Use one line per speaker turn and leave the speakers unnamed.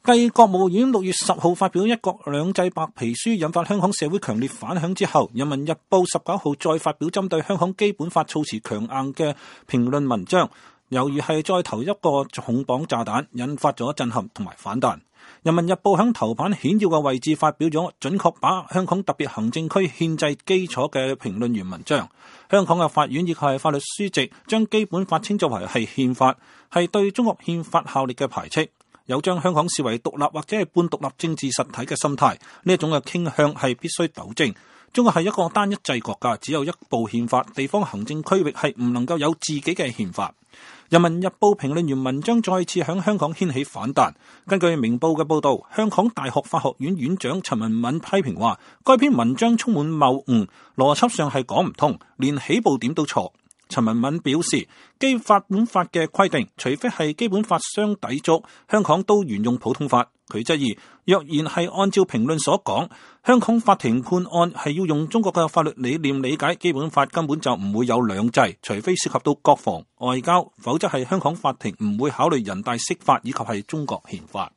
繼國務院6月10號發表一國兩制白皮書，引發香港社會強烈反響之後，人民日報19號再發表針對香港基本法措辭強硬嘅評論文章，猶如係再投一個重磅炸彈，引發咗震撼同埋反彈。人民日報響頭版顯要嘅位置發表咗準確把香港特別行政區憲制基礎嘅評論員文章。香港嘅法院亦係法律書籍將基本法稱作為係憲法，係對中國憲法效力嘅排斥，有將香港視為獨立或者係半獨立政治實體嘅心態，呢一種嘅傾向係必須糾正。中國係一個單一制國家，只有一部憲法，地方行政區域係唔能夠有自己嘅憲法。人民日報評論員文章再次響香港掀起反彈。根據明報嘅報道，香港大學法學院院長陳文敏批評話，該篇文章充滿謬誤，邏輯上係講唔通，連起步點都錯。陳文敏表示，基本法嘅規定，除非係基本法相抵觸，香港都沿用普通法。佢質疑，若然係按照評論所講，香港法庭判案係要用中國嘅法律理念理解基本法，根本就唔會有兩制，除非涉及到國防、外交，否則係香港法庭唔會考慮人大釋法以及係中國憲法。